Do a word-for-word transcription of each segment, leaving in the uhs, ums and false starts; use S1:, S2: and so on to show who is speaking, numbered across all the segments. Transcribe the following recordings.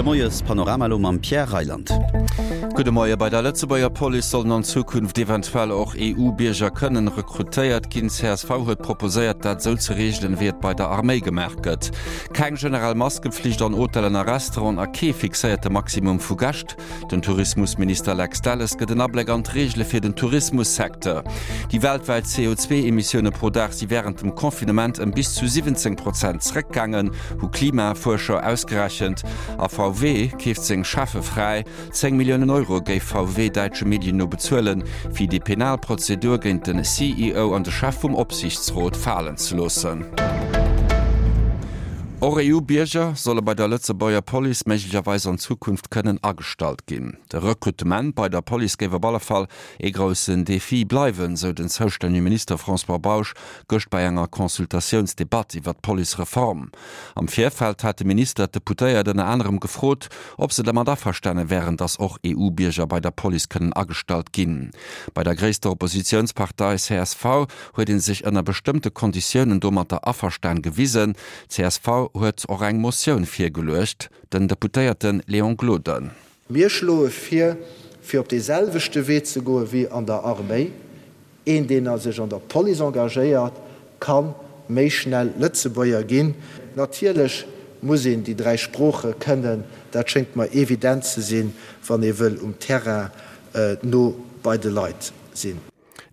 S1: De Moiespanorama elo mam Pierre Reyland.
S2: Gudde Moie, Bei der Lëtzebuerger Police sollen an Zukunft eventuell och E U-Bierger kënnen rekrutéiert ginn. C S V huet proposéiert, dat esou ze reegelen, wéi et bei der Arméi gemaach gëtt. Keng generell Maskepflicht an Hotellen a Restauranten a kee fixéierte Maximum vu Gäscht. Den Tourismusminister Lex Delles gëtt en Abléck an d'Reegele fir den Tourismussecteur. Déi weltwäit C O zwee Emissioune pro Dag si wärend dem Confinement ëm bis zu siwwenzéng Prozent zeréckgaangen, hu Klimafuerscher ausgerechent. A V W keeft seng Cheffe fräi. Zéng Milliounen Euro géif V W däitsche Medien no bezuelen, fir déi penal Prozedur géint den C E O an de Chef vum Opsiichtsrot falen ze loossen. Och E U-Bierger solle bei der Lëtzebuerger Police méiglecherweis an Zukunft kënnen agestallt ginn. De Rekrutement bei der Police géif op alle Fall ee groussen Defi bleiwen, sou den zoustännege Minister François Bausch gëscht bei enger Consultatiounsdebatt iwwer d'Policereform. Am Virfeld hat de Minister d'Deputéiert ënner anerem gefrot, ob se dermat averstane wären, datt och E U-Bierger bei der Police kënnen agestallt ginn. Bei der gréisster Oppositiounspartei C S V huet ee sech ënner bestëmmte Konditiounen domatter averstan gewisen. C S V huet och eng Motioun virgeluecht, den Deputéierte Léon Gloden.
S3: Mir schloe vir, fir op dee selwechte Wee ze goe wéi an der Arméi. Een, deen sech an der Police engagéiert, ka méi schnell Lëtzebuerger ginn. Natierlech muss een déi dräi Sprooche kënnen, dat schéngt mer evident ze sinn, wann ee wëll um Terrain no bei de Leit sinn.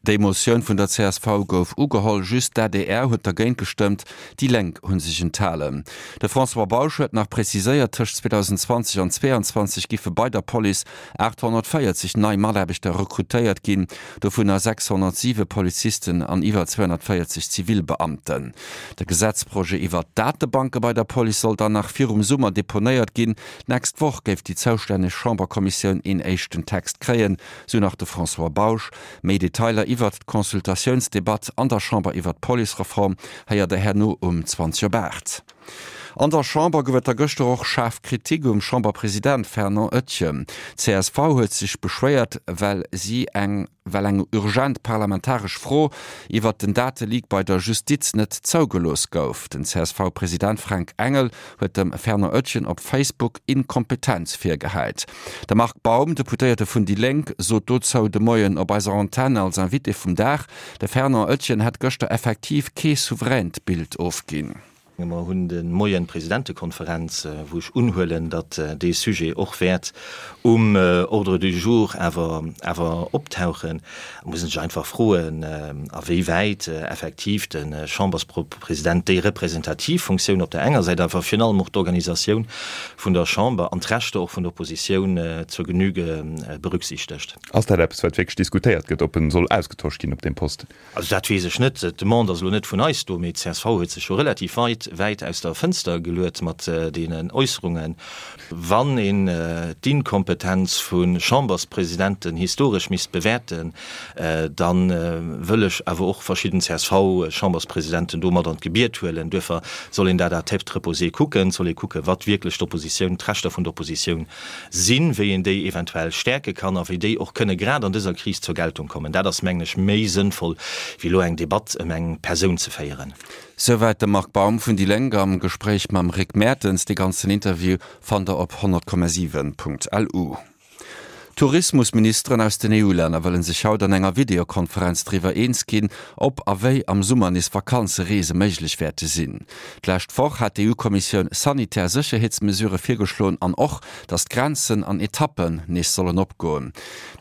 S2: Déi Motioun vun der C S V gouf ugeholl, just d'A D R huet dergéint gestëmmt, déi Lénk hu sech enthalen. De François Bausch huet nach preziséiert, tëscht zweedausendenzwanzeg an zweeanzwanzeg géife bei der Police aathonnertvéierzeg nei Mataarbechter rekrutéiert ginn, dovunner sechshonnertsiwe Polizisten an iwwer zweehonnertvéierzeg Zivilbeamten. De Gesetzprojet iwwer d'Datebanke bei der Police soll dann nach virum Summer deponéiert ginn. D'nächst Woch géif déi zoustänneg Chamberkommissioun een éischten Text kréien, sou nach de François Bausch. Méi Detailer iwwer d'Consultatiounsdebatt an der Chamber iwwer d'Policereform héiert der herno um zwanzeg op aacht. An der Chamber gouf et da gëschter och schaarf Kritik um Chamberpresident Fernand Etgen. C S V huet sech beschwéiert, well si eng well eng urgent parlamentaresch Fro iwwer den Dateleak bei der Justiz net zougelooss gouf. Den C S V-President Fränk Engel huet dem Fernand Etgen op Facebook Inkompetenz virgehäit. De Marc Baum, Deputéierte vun déi Lénk, sot dozou de Moien op eiser Antenn als Invité vum Dag, de Fernand Etgen hätt gëschter effektiv kee souveränt Bild ofginn.
S4: Mer hunn de Moien d'Presidentekonferenz, wou ech unhuelen, datt dee Sujet och wäert um Ordre du jour awer awer optauchen. Et muss een sech einfach froen, a wéi wäit effektiv de Chamberspresident déi representativ Funktioun op der enger Säit, awer virun allem och d'Organisatioun vun der Chamber an d'Rechter och vun der Oppositioun zur Genüge berücksichtegt.
S5: Ass dat eppes, wat wierklech diskutéiert gëtt, ob en soll ausgetosch ginn op deem Posten?
S4: Also dat weess ech net. D'Demande ass elo net vun eis do, mee d'C S V huet sech jo relativ weit wäit aus der Fënster geluet mat deenen Äusserungen. Wann een d'Inkompetenz vu Chamberspresidenten historesch misst bewäerten, da wëll ech awer och verschidden C S V-Chamberspresidenten do mat an d'Gebiet huelen. Duerfir soll een dat à tête reposée kucken, soll ee kucken, wat wierklech d'Oppositioun, d'Rechter vun der Oppositioun sinn, wéi een déi eventuell stäerke kann a wéi déi och kënne grad an dëser Kris zur Geltung kommen. Dat ass, mengen ech, méi sënnvoll, wéi elo eng Debatt ëm eng Persoun ze féieren.
S2: Souwäit de Marc Baum vun déi Lénk am Gespréich mam Rick Mertens. De ganzen Interview fannt der op honnert Komma siwen Punkt L U. Tourismusministeren aus den E U-Länner wëllen sech haut an enger Videokonferenz driwwer eens ginn, ob a wéi am Summer nees Vakanzereese méiglech wäerte sinn. D'lescht Woch hat d'E U-Kommissioun sanitär Sécherheetsmesurë virgeschloen an och, datt d'Grenzen an Etappen nees sollen opgoen.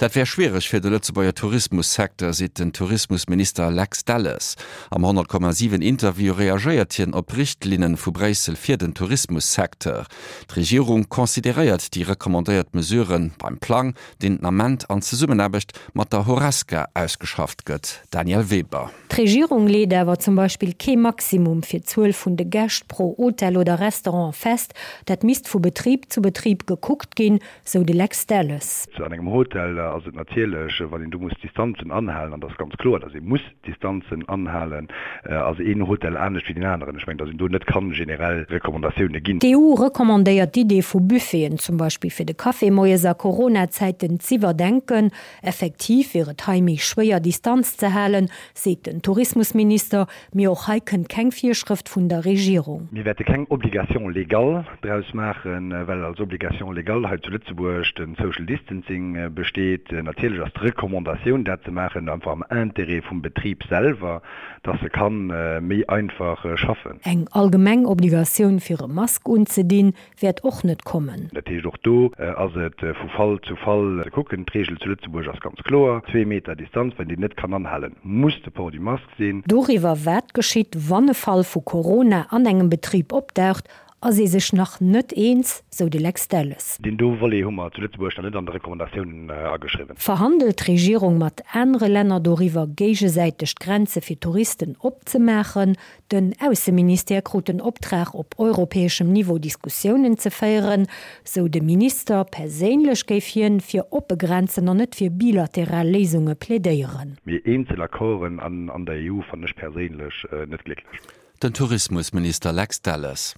S2: Dat wär schwiereg fir de Lëtzebuerger Tourismussecteur, seet den Tourismusminister Lex Delles. Am honnert Komma siwen Interview reagéiert hien op Richtlinne vu Bréissel fir den Tourismussecteur. D'Regierung consideréiert déi recommandéiert Mesurë beim Plang, deen den Ament an Zesummenaarbecht mat der Horesca ausgeschafft gëtt. Danièle Weber.
S6: D'Regierung leet awer zum Beispill kee Maximum fir d'Zuel vun de Gäscht pro Hotel oder Restaurant fest, dat misst vu Betrib zu Betrib gekuckt ginn, sou de Lex Delles.
S7: An engem Hotel ass et natierlech, wann een do muss Distanzen anhalen, an dat ass ganz kloer, datt ee muss Distanzen anhalen, ass een Hotel anescht wéi deen aneren. Ech mengen, datt een do net kann generell Recommandatioune ginn.
S6: D'E U recommandéiert d'Idee vu Buffeten, zum Beispill fir de Café moies a Coronazäiten Ëffnungszäiten z'iwwerdenken. Effektiv wier et hei méi schwéier Distanz ze halen, seet den Tourismusminister. Mee och hei kënnt keng Virschrëft vun der Regierung.
S7: Mir wäerte keng Obligation légale draus maachen, well als Obligation légale hei zu Lëtzebuerg de Social Distancing besteet. Natierlech ass d'Recommandatioun, dat ze maachen, einfach am Intérêt vum Betrib selwer, dass e ka méi einfach schaffen.
S6: Eng allgemeng Obligatioun fir e Mask unzedinn, wäert och net kommen.
S7: Dat heescht, och do ass et vu Fall zu Fall ze kucken. D'Reegel zu Lëtzebuerg ass ganz kloer, zwee Meter Distanz, wann een déi net kann anhalen, muss de Port du masque sinn.
S6: Doriwwer, wat geschitt, wann e Fall vu Corona an engem Betrib opdaucht, ass ee sech nach net eens, sou de Lex Delles.
S7: Deen do Volet hu mer zu Lëtzebuerg nach net an de Recommandatiounen ageschriwwen.
S6: Verhandelt d'Regierung mat anere Länner doriwwer, géigesäiteg d'Grenze fir Touristen opzemaachen? Den Ausseministère krut den Optrag, op europäeschem Niveau Diskussiounen ze féieren, sou de Minister. Perséinlech géif hien fir oppe Grenzen an net fir bilateral Léisunge plädéieren.
S7: Mee eenzel Accorden an der EU fannen ech perséinlech net glécklech.
S2: Den Tourismusminister Lex Delles.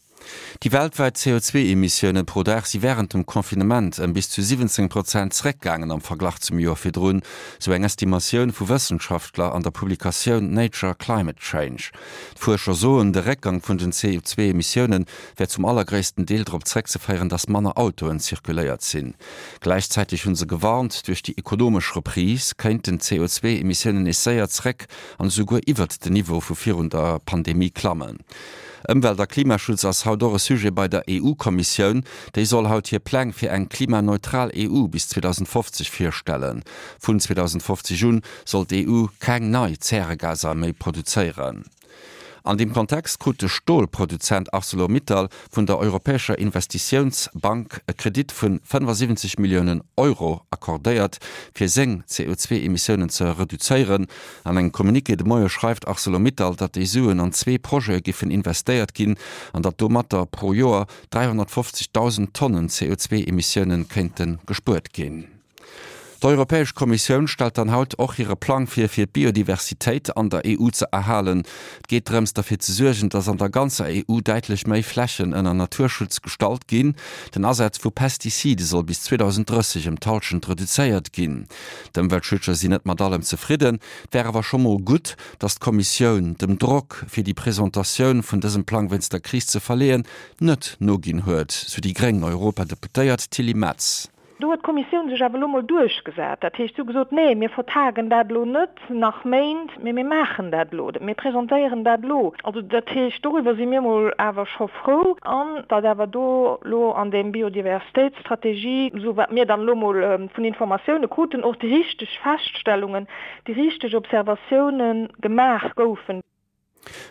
S2: Déi weltwäit C O zwee Emissiounen pro Dag si wärend dem Confinement ëm bis zu siwwenzéng Prozent zeréckgaangen am Verglach zum Joer virdrun, sou eng Estimatioun vu Wëssenschaftler an der Publikatioun Nature Climate Change. D'Fuerscher soen, de Réckgang vun den C O zwee Emissioune wär zum allergréissten Deel drop zeréckzeféieren, datt manner Autoen zirkuléiert sinn. Gläichzäiteg hu se gewarnt, duerch déi ekonomesch Reprise kéinten d'C O zwee Emissiounen nees séier zeréck an esouguer iwwert den Niveau vu virun der Pandemie klammen. Ëmwelt a Klimaschutz ass haut och e Sujet bei der E U-Kommissioun. Déi soll haut hir Pläng fir eng klimaneutral E U bis zweedausendfofzeg virstellen. Vun zweedausendfofzeg un soll d'E U keng nei Zäregaser méi produzéieren. An deem Kontext krut de Stolproduzent ArcelorMittal vun der Europäescher Investitiounsbank e Kredit vun fënnefasiwwenzeg Milliounen Euro accordéiert, fir seng C O zwee Emissiounen ze reduzéieren. An engem Communiqué de Moie schreift ArcelorMittal, datt déi Suen an zwee Projete giffen investéiert ginn an datt domatter pro Joer dräihonnertfofzegdausend Tonnen C O zwee Emissiounen kéinte gespuert ginn. D'Europäesch Kommissioun stellt dann haut och hire Plang vir, fir d'Biodiversitéit an der E U ze erhalen. Et geet drëms, derfir ze suergen, datt an der ganzer E U däitlech méi Flächen ënner Naturschutz gestallt ginn. Den Asaz vu Pestizide soll bis zweetdausenddrësseg ëm d'Hallschent reduzéiert ginn. D'Ëmweltschützer sinn net mat allem zefridden. Et wär awer scho mol gutt, datt d'Kommissioun dem Drock fir déi Presentatioun vun dësem Plang wéinst der Kris ze verleeën, net noginn huet, sou déi gréng Europadeputéiert Tilly Metz.
S8: Do huet d'Kommissioun sech awer elo mol duerchgesat. Dat heescht, si hu gesot, nee, mir vertagen dat elo net nach Méint, mee mir maachen dat elo, mir presentéieren dat elo. Also dat heescht, doriwwer si mir mol awer scho frou an datt awer do elo an dem Biodiversitéitsstrategie, sou wat mir dann elo mol vun Informatioune kruten, och déi richteg Feststellungen, déi richteg Observatioune gemaach goufen.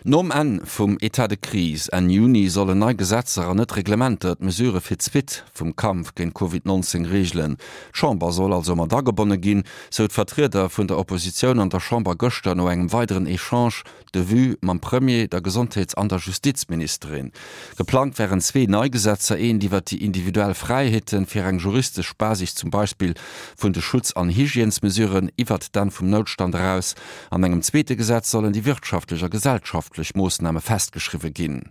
S2: Nom Enn vum État de crise Enn Juni sollen nei Gesetzer an net Reglementer d'Mesurë fir d'Suite vum Kampf géint Covid neunzéng reegelen. D'Chamber soll also mat agebonne ginn, sou d'Vertrieder vun der Oppositioun an der Chamber gëschter no engem weideren Echange de vues mam Premier, der Gesondheets- an der Justizministerin. Geplangt wären zwee nei Gesetzer, eent iwwer déi individuell Fräiheeten fir eng juristesch Basis zum Beispill vun de Schutz- an Hygiènesmesuren iwwer d'Enn vum Noutstand eraus. An engem zweete Gesetz sollen déi wirtschaftlech a gesellschaftlech Moossname festgeschriwwe ginn.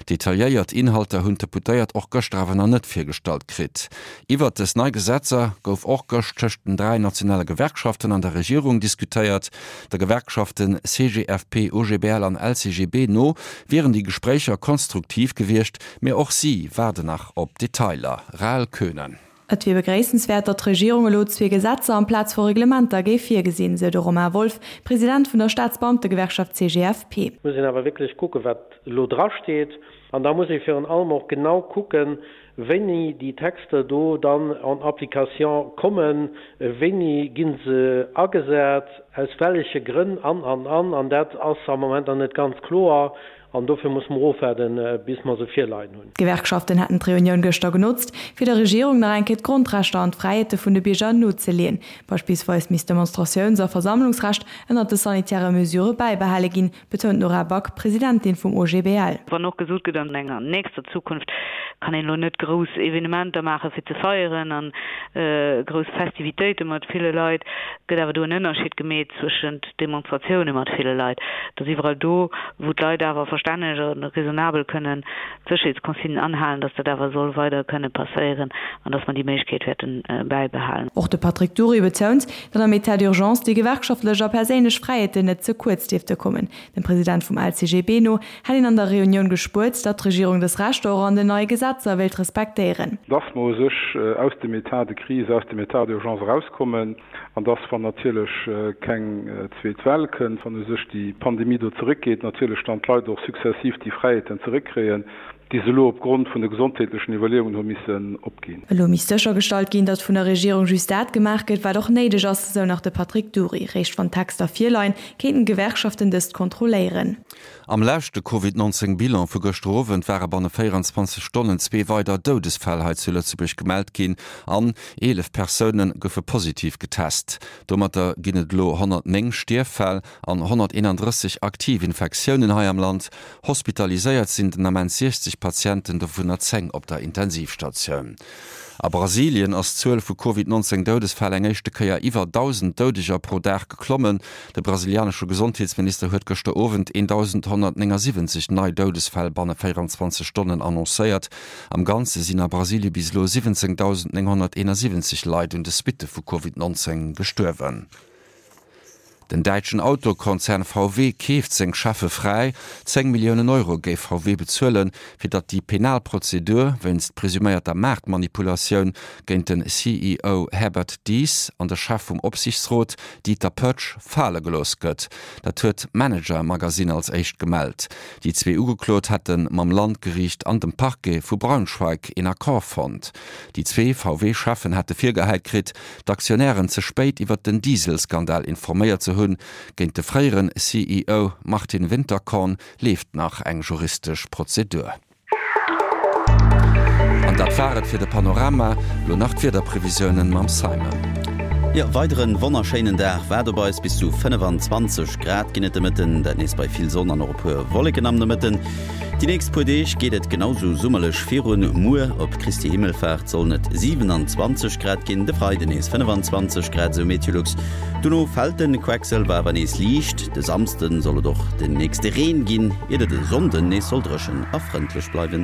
S2: Detailléiert Inhalter hunn d'Deputéiert och gëschter awer nach net virgestallt kritt. Iwwer dës nei Gesetzer gouf och gëscht tëscht den dräi nationale Gewerkschaften an der Regierung diskutéiert. Der Gewerkschaften C G F P, O G B L an L C G B no wieren déi Gespréicher konstruktiv gewiescht, mee och si waarden nach op Detailer. Rahel Köhnen.
S9: Et wier begréissenswäert, datt d'Regierung elo zwee Gesetzer amplaz vu Reglementer géif virgesinn, sou de Romain Wolff, President vun der Staatsbeamtegewerkschaft C G F P.
S10: Et muss een awer wierklech kucken, wat elo drasteet. An da muss ee virun allem och genau kucken, wéini déi Texter do dann en application kommen, wéini ginn se agesat, aus welche Grënn an, an, an. An dat ass am Moment nach net ganz kloer. An dofir muss mer ofwaarden, bis mer se virleien hunn.
S9: D'Gewerkschaften hätten d'Reunioun gëschter genotzt, fir der Regierung nach eng Kéier d'Grondrechter an d'Fräiheete vun de Bierger nozeleeën. Beispillsweis misst Demonstratiouns- a Versammlungsrecht ënner de sanitäre Mesure bäibehale ginn, betount Nora Back, Presidentin vum O G B L.
S11: Wann och gesot gëtt, an enger nächster Zukunft kann een elo net grouss Evenementer maache fir ze feieren an grouss Festivitéite mat ville Leit. Gëtt awer do en Ënnerscheed gemeet zwëschent Demonstratioune mat ville Leit, dass iwwerall do, wou d'Leit awer verstänneg a raisonnabel kënnen d'Sécherheetsconsignen anhalen, dass dat awer soll weider kënne passéieren an dass mer déi Méiglechkeet wäerte bäibehalen.
S9: Och de Patrick Dury betount, datt am État d'urgence déi gewerkschaftlech a perséinlech Fräiheeten net ze kuerz dierfte kommen. Dem President vum LCGB no hätt een an der Reunioun gespuert, datt d'Regierung dës Rechter och an den neie Gesetzer wéilt respektéieren.
S12: Dass mer u sech aus dem État de crise, aus dem État d'urgence erauskommen an dass, wann natierlech keng zweet Well kënnt, wann u sech déi Pandemie do zeréckgeet, natierlech dann d'Leit och successiv déi Fräiheeten zeréckkréien, déi se elo opgrond vun de gesondheetlechen Iwwerleeungen hu missen opginn.
S9: Elo misst séchergestallt ginn, datt vun der Regierung just dat gemaach gëtt, wat och néideg ass, esou nach de Patrick Dury. Réischt wann d'Texter virleien, kéinten d'Gewerkschaften dëst kontrolléieren.
S2: Am leschte Covid nonzéng Bilan vu gëschter Owend ware banne véierenzwanzeg Stonnen zwee weider Doudesfäll hei zu Lëtzebuerg gemellt ginn an eelef Persoune goufe positiv getest. Domatter ginn et elo honnertnéng Stierffäll an honnerteenandrësseg aktiv Infektiounen hei am Land. Hospitaliséiert sinn den Ament siechzeg Patienten, dovunner zéng op der Intensivstatioun. A Brasilien ass d'Zuel vu Covid nonzéng Doudesfäll eng éischte Kéier iwwer dausend Doudeger pro Dag geklommen. De brasilianesche Gesondheetsminister huet gëschter Owend eentausendhonnertnéngasiwwenzeg nei Doudesfäll banne véierenzwanzeg Stonnen annoncéiert. Am Ganze sinn a Brasilie bis elo siwwenzéngdausendnénghonnerteenasiwwenzeg Leit un de Suitte vu Covid nonzéng gestuerwen. Den däitschen Autokonzern V W keeft seng Cheffe fräi. Zéng Milliounen Euro géif V W bezuelen, fir datt déi penal Prozedur wéinst presuméierter Maartmanipulatioun géint den C E O Herbert Diess an de Chef vum Opsiichtsrot Dieter Pötsch fale gelooss gëtt. Dat huet d'Manager Magazine als éischt gemellt. Déi zwee Ugeklot hätte mam Landgeriicht an dem Parquet vu Braunschweig een Accord fonnt. Déi zwee V W-Cheffen hätte virgehäit kritt, d'Aktionären ze spéit iwwer den Dieselskandal informéiert ze hunn. Géint de fréieren C E O Martin Winterkorn leeft nach eng juristesch Prozedur. An dat war et fir de Panorama, lo nach d'Wiederprevisiounen mam Simon.
S1: Jo, weideren wonnerschéinen Dag waart op eis, bis zu fënnefenzwanzeg Grad ginn et de Mëtten, dat nees bei vill Sonn an och e puer Wolleken am Nomëtten. Déi nächst puer Deeg geet et genau sou summerlech virun, muer op Christi Himmelfaart sollen et siwenanzwanzeg Grad ginn, de Freiden nees fënnefenzwanzeg Grad, sou Meteolux. Dono fält de Quecksëlwer awer nees liicht, de Samsden soll et och den nächste Reen ginn, iert et e Sonnden nees soll dréchen a frëndlech bleiwen.